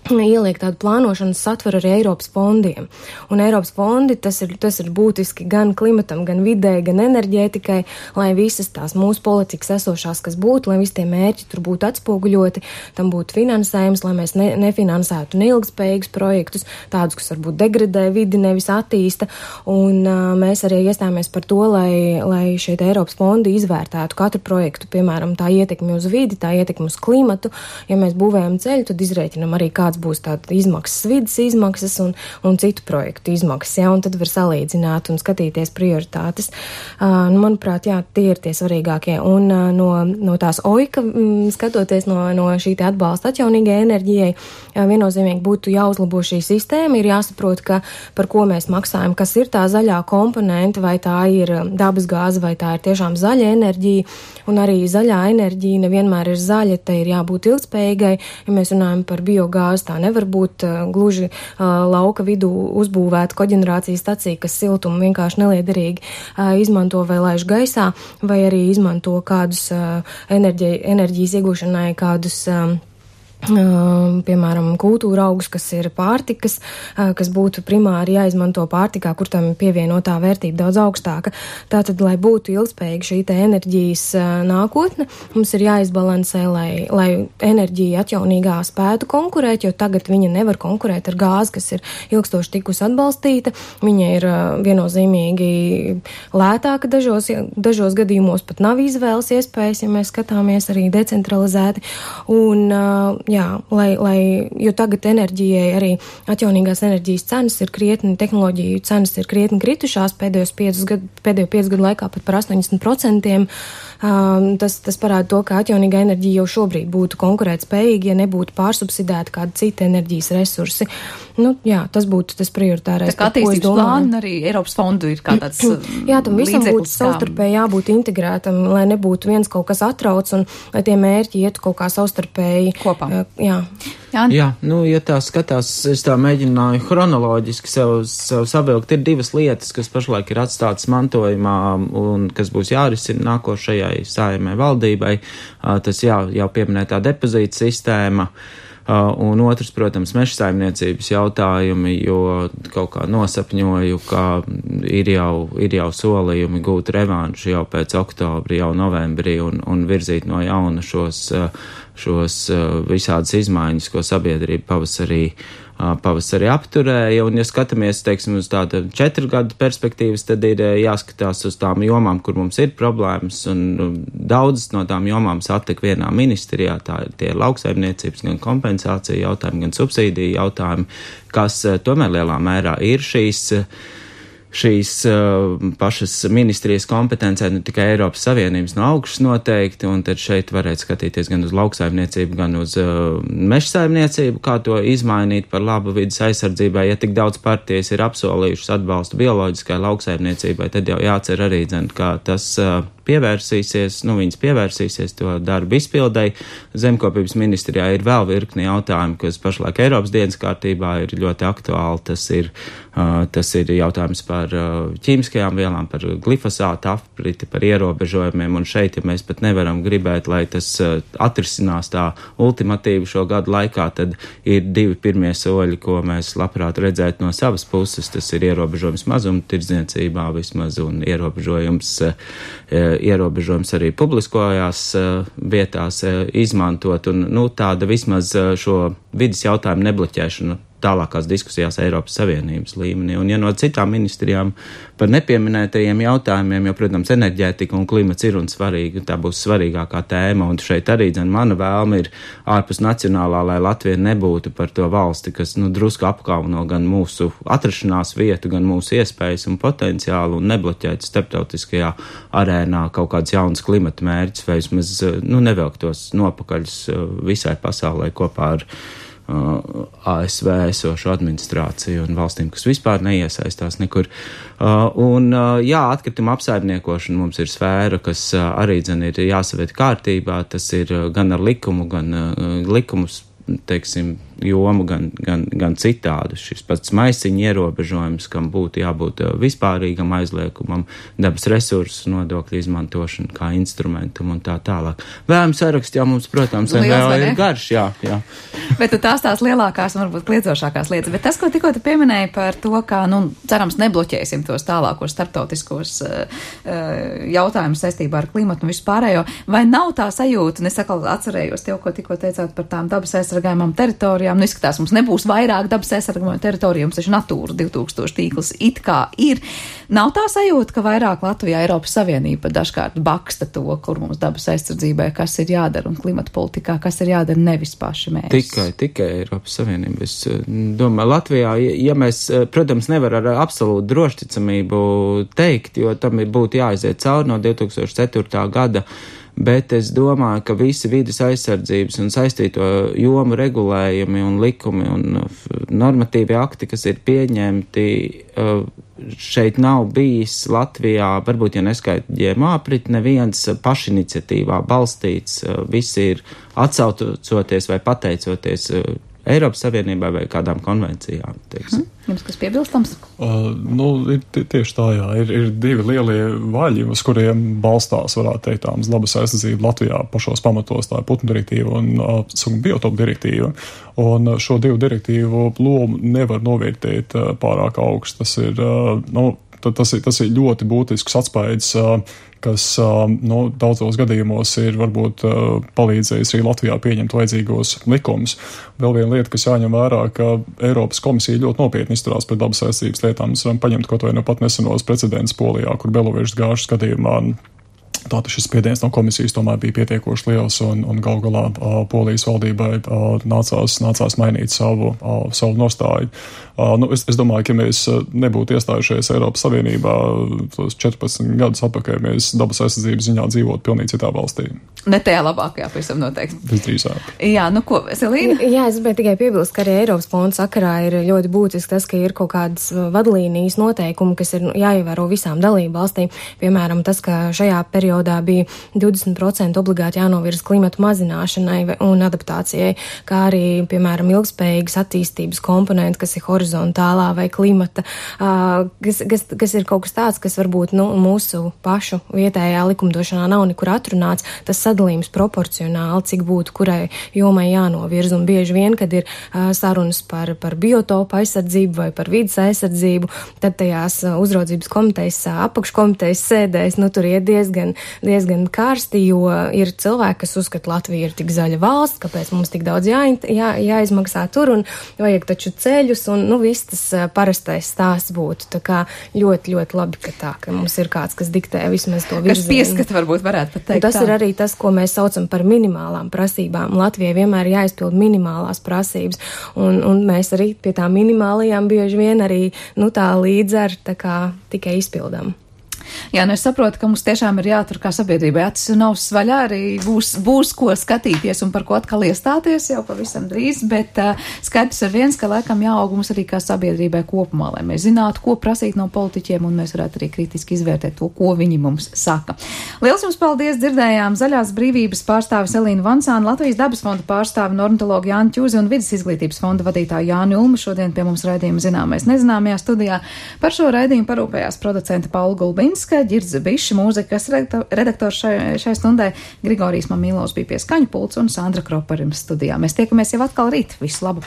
ieliek tādu plānošanas satveru arī Eiropas fondiem. Un Eiropas fondi, tas ir, tas ir būtiski gan klimatam, gan vidē, gan enerģētikai, lai visas tās mūsu politikas esošās, kas būtu, lai visi tie mērķi tur būtu atspoguļoti, tam būtu finansējums, lai mēs ne, nefinansētu neilgspējīgus projektus, tādus, kas varbūt degradē vidi, nevis attīsta. Un uh, mēs arī iestājāmies par to, lai, lai šie Eiropas fondi izvērtētu katru projektu, piemēram, tā ietekmi uz vidi, tā ietekmi uz klimatu. Ja mēs būvējam ceļu, tad izrēķinam arī, kāds būs tāda izmaksas, vidas izmaksas un, un citu projektu izmaksas, ja, un tad var salīdzināt un skatīties prioritātes. Uh, nu, manuprāt, jā, tie ir tie svarīgākie. Un uh, no, no tās oika, mm, skatoties no, no šī te atbalsta atjaunīgai enerģijai, uh, viennozīmīgi būtu jāuzlabo šī sistēma, ir jāsaprot, ka par ko mēs maksājam, kas ir tā zaļā komponenta, vai tā ir dabas gāze, vai tā ir tiešām zaļa enerģija, un arī zaļā enerģija nevienmēr ir zaļa, te ir jābūt ilgspējīgai, ja mēs runājam par biogāzi, tā nevar būt uh, gluži uh, lauka vidū uzbūvēta koģenerācijas stacija, kas siltumu vienkārši neliederīgi uh, izmanto vai laiž gaisā, vai arī izmanto kādus uh, enerģi, enerģijas iegūšanai kādus um, Uh, piemēram, kultūra augus, kas ir pārtikas, uh, kas būtu primāri jāizmanto pārtikā, kur tam pievienotā vērtība daudz augstāka. Tātad, lai būtu ilgspējīga šī te enerģijas uh, nākotne, mums ir jāizbalansē, lai, lai enerģija atjaunīgā spētu konkurēt, jo tagad viņa nevar konkurēt ar gāzi, kas ir ilgstoši tikus atbalstīta. Viņa ir uh, viennozīmīgi lētāka dažos, dažos gadījumos pat nav izvēles iespējas, ja mēs skatāmies arī decentralizēti. Un, uh, Jā, lai, lai, jo tagad enerģijai arī atjaunīgās enerģijas cenas ir krietni, tehnoloģiju cenas ir krietni kritušās pēdējos piecus gadu, pēdējo piecu gadu laikā pat par astoņdesmit procentiem. Um, tas, tas parāda to, ka atjaunīgā enerģija jau šobrīd būtu konkurētspējīga, ja nebūtu pārsubsidēta kāda cita enerģijas resursi. Nu, jā, tas būtu tas prioritārais. Tā kā attīstības plāna arī Eiropas fondu ir kā tāds jā, tam visam būtu savstarpēji jābūt integrētam, lai nebūtu viens kaut kas atrauc un lai tie mērķi ietu kaut kā savstarpēji kopā. Jā. Jā, Jā nu, ja tā skatās, es tā mēģināju chronoloģiski sev, sev savilkt, ir divas lietas, kas pašlaik ir atstātas mantojumā un kas būs jārisina nākošajai Saeimai valdībai. Tas jā, jau pieminētā depozīta sistēma. Uh, un otrs, protams, meža saimniecības jautājumi, jo kaut kā nosapņoju, ka ir jau, ir jau solījumi gūt revanšu jau pēc oktobra, jau novembrī un, un virzīt no jauna šos, šos visādas izmaiņas, ko sabiedrība pavasarī, pavasarī apturēja. Un, ja skatāmies, teiksim, uz tādu četru gadu perspektīvas, tad ir jāskatās uz tām jomām, kur mums ir problēmas, un daudzas no tām jomām satek vienā ministrijā. Tā ir tie lauksaimniecības gan kompensācija jautājumi, gan subsīdiju jautājumi, kas tomēr lielā mērā ir šīs šīs uh, pašas ministrijas kompetencē, ne tikai Eiropas Savienības no augšas noteikti, un tad šeit varētu skatīties gan uz lauksaimniecību, gan uz uh, mežsaimniecību, kā to izmainīt par labu vidas aizsardzībai. Ja tik daudz partijas ir apsolījušas atbalstu bioloģiskai lauksaimniecībai, tad jau jācer arī, dzen, kā tas uh, pievērsīsies, nu, viņas pievērsīsies to darbu izpildēji. Zemkopības ministrijā ir vēl virkni jautājumu, kas pašlaik Eiropas dienas kārtībā ir ļoti aktuāli. Tas ir, uh, tas ir jautājums par uh, ķīmiskajām vielām, par glifosātu apriti, par ierobežojumiem, un šeit, ja mēs pat nevaram gribēt, lai tas uh, atrisinās tā ultimatīvi šo gadu laikā, tad ir divi pirmie soļi, ko mēs labprāt redzētu no savas puses. Tas ir ierobežojums mazuma tirdzniecībā vismaz un ierobežojums, uh, ierobežojums arī publiskojās uh, vietās uh, izmantot, un nu, tāda vismaz uh, šo vidas jautājumu nebloķēšanu tālākās diskusijās Eiropas Savienības līmenī. Un ja no citām ministrijām par nepieminētajiem jautājumiem, jo, protams, enerģētika un klimats ir un svarīgi, un tā būs svarīgākā tēma, un šeit arī, dzen, mana vēlme ir ārpus nacionālā, lai Latvija nebūtu par to valsti, kas, nu, drusku apkauno gan mūsu atrašanās vietu, gan mūsu iespējas un potenciālu, un nebloķēt starptautiskajā arēnā kaut kāds jauns klimata mērķis, vai vismaz, nu, nevelktos nopakaļus visai pasaulē kopā ar A S V esošu administrāciju un valstīm, kas vispār neiesaistās nekur. Un, jā, atkrituma apsaimniekošana mums ir sfēra, kas arī, dzen, ir jāsavērt kārtībā. Tas ir gan ar likumu, gan likumus, teiksim, jomu, gan, gan, gan citādu. Šis pats maisiņu ierobežojums, kam būtu jābūt vispārīgam aizliekumam, dabas resursu nodokļu izmantošana kā instrumentam un tā tālāk. Vēlams saraksts jau mums, protams, vēl ir garš, jā, jā. Bet tu tās tās lielākās un varbūt kliedzošākās lietas. Bet tas, ko tikko tu pieminēji par to, kā, nu, cerams, nebloķēsim tos tālākos starptautiskos uh, jautājumus saistībā ar klimatu un vispārējo, vai nav tā sajūta, un es atkal atcerējos tev, ko tikko teicāt par tām dabas aizsargājumām teritorijām. Nu, izskatās, mums nebūs vairāk dabas aizsargājumu teritorijų, mums taču Natūra divi tūkstoši tīkls it kā ir. Nav tā sajūta, ka vairāk Latvijā Eiropas Savienība dažkārt baksta to, kur mums dabas aizsardzībai, kas ir jādara un klimata politikā, kas ir jādara, nevis paši mērķis. Tikai, tikai Eiropas Savienība. Es domāju, Latvijā, ja mēs, protams, nevar ar absolūtu drošticamību teikt, jo tam ir būtu jāaiziet cauri no divi tūkstoši ceturtā gada, bet es domāju, ka visi vides aizsardzības un saistīto jomu regulējumi un likumi un normatīvi akti, kas ir pieņemti, šeit nav bijis Latvijā, varbūt, ja neskait G M O aprit, neviens pašiniciatīvā balstīts, visi ir atsaucoties vai pateicoties Eiropas Savienībai vai kādām konvencijām, teiksim. Hmm. Jums kas piebilstams? Uh, nu, ir tieši tā, jā. Ir, ir divi lielie vaļi, uz kuriem balstās, varētu teikt, tāmas dabas aizsardzība Latvijā pašos pamatos, tā ir putnu direktīva un uh, biotopu direktīva. Un šo divu direktīvu lomu nevar novērtēt uh, pārāk augstu. Tas ir, uh, nu, tas ir, tas ir ļoti būtisks atspaids, uh, kas nu, daudzos gadījumos ir varbūt palīdzējis arī Latvijā pieņemt vajadzīgos likumus. Vēl viena lieta, kas jāņem vērā, ka Eiropas komisija ļoti nopietni izturās pret dabas aizsardzības lietām. Mēs varam paņemt kaut vai no pat nesenos precedents Polijā, kur Belovežas gāžas gadījumā tātad šis spiediens no komisijas tomēr bija pietiekoši liels un, un gal galā uh, Polijas valdībai uh, nācās, nācās mainīt savu, uh, savu nostāju. Uh, nu, es, es domāju, ka ja mēs nebūtu iestājušies Eiropas Savienībā tos četrpadsmit gadus atpakaļ, mēs dabas aizsardzības ziņā dzīvotu pilnīgi citā valstī. Ne tajā labākajā, pavisam noteikti. Visdrīzāk. Jā, nu ko, Selīna? Jā, es gribēju tikai piebilst, ka arī Eiropas fonda sakarā ir ļoti būtiski tas, ka ir kaut kādas vadlīnijas noteikumi, kas ir jāievēro visām dalību valstīm. Piemēram, tas, ka šajā periodā bija divdesmit procenti obligāti jānovirza klimatu mazināšanai un adaptācijai, kā arī, piemēram, ilgspējīgas attīstības komponenti, kas ir horizontālā vai klimata, kas, kas, kas ir kaut kas tāds, kas varbūt nu, mūsu pašu vietējā likumdošanā nav nekur atrunāts. Tas sadalījums proporcionāli, cik būtu kurai jomai jānovirza. Un bieži vien, kad ir uh, sarunas par, par biotopu aizsardzību vai par vidas aizsardzību, tad tajās uh, uzraudzības komitejas, uh, apakškomitejas sēdēs, nu tur iet diezgan, diezgan karsti, jo ir cilvēki, kas uzskata, Latvija ir tik zaļa valsts, kāpēc mums tik daudz jā, jā, jāizmaksā tur un vajag taču ceļus, un nu viss tas uh, parastais stāsts būtu. Tā kā ļoti, ļoti labi, ka tā, ka mums ir kāds, kas diktē vismaz to virzienu. Kas pieskata varbūt varētu pat teikt. Un tas tā ir arī tas, ko mēs saucam par minimālām prasībām. Latvijai vienmēr ir jāizpild minimālās prasības, un, un mēs arī pie tām minimālajām bieži vien arī, nu tā līdz ar tā kā tikai izpildām. Jā, nu es saprotu, ka mums tiešām ir jātur kā sabiedrībai acis un ausis vaļā, arī būs, būs ko skatīties un par ko atkal iestāties jau pavisam drīz, bet uh, skaidrs ir viens, ka laikam jāaug mums arī kā sabiedrībai kopumā, lai mēs zinātu, ko prasīt no politiķiem un mēs varētu arī kritiski izvērtēt to, ko viņi mums saka. Liels jums paldies, dzirdējām Zaļās brīvības pārstāvis Elīnu Vansānu, Latvijas dabas fonda pārstāvi un ornitologu Jāni Ķūzi un Vides izglītības fonda vadītāju Jāni Ulmu. Šodien pie mums raidījuma zināmais nezināmajā studijā. Par šo raidījumu parūpējās producenta Paula Gulbinska, Ģirdze Biša, mūzikas redaktors šai, šai stundai, Grigorijs Mamīlovs bija pie skaņu pults un Sandra Kropa ar jums studijā. Mēs tiekamies jau atkal rīt. Visu labu!